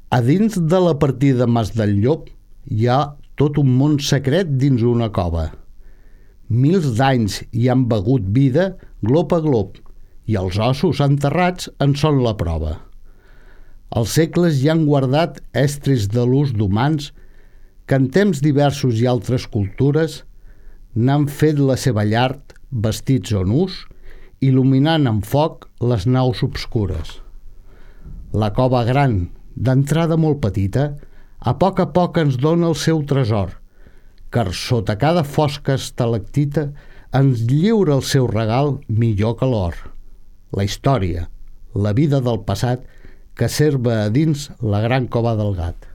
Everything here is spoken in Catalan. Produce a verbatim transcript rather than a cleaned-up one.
A dins de la partida Mas del Llop hi ha tot un món secret dins una cova. Mils d'anys hi han begut vida glop a glop i els ossos enterrats en són la prova. Els segles hi han guardat estris de l'ús d'humans que en temps diversos i altres cultures n'han fet la seva llar vestits o nus, il·luminant amb foc les naus obscures. La cova gran, d'entrada molt petita, a poc a poc ens dona el seu tresor, car sota cada fosca estalactita ens lliura el seu regal millor que l'or. La història, la vida del passat, que serva a dins la gran cova del gat.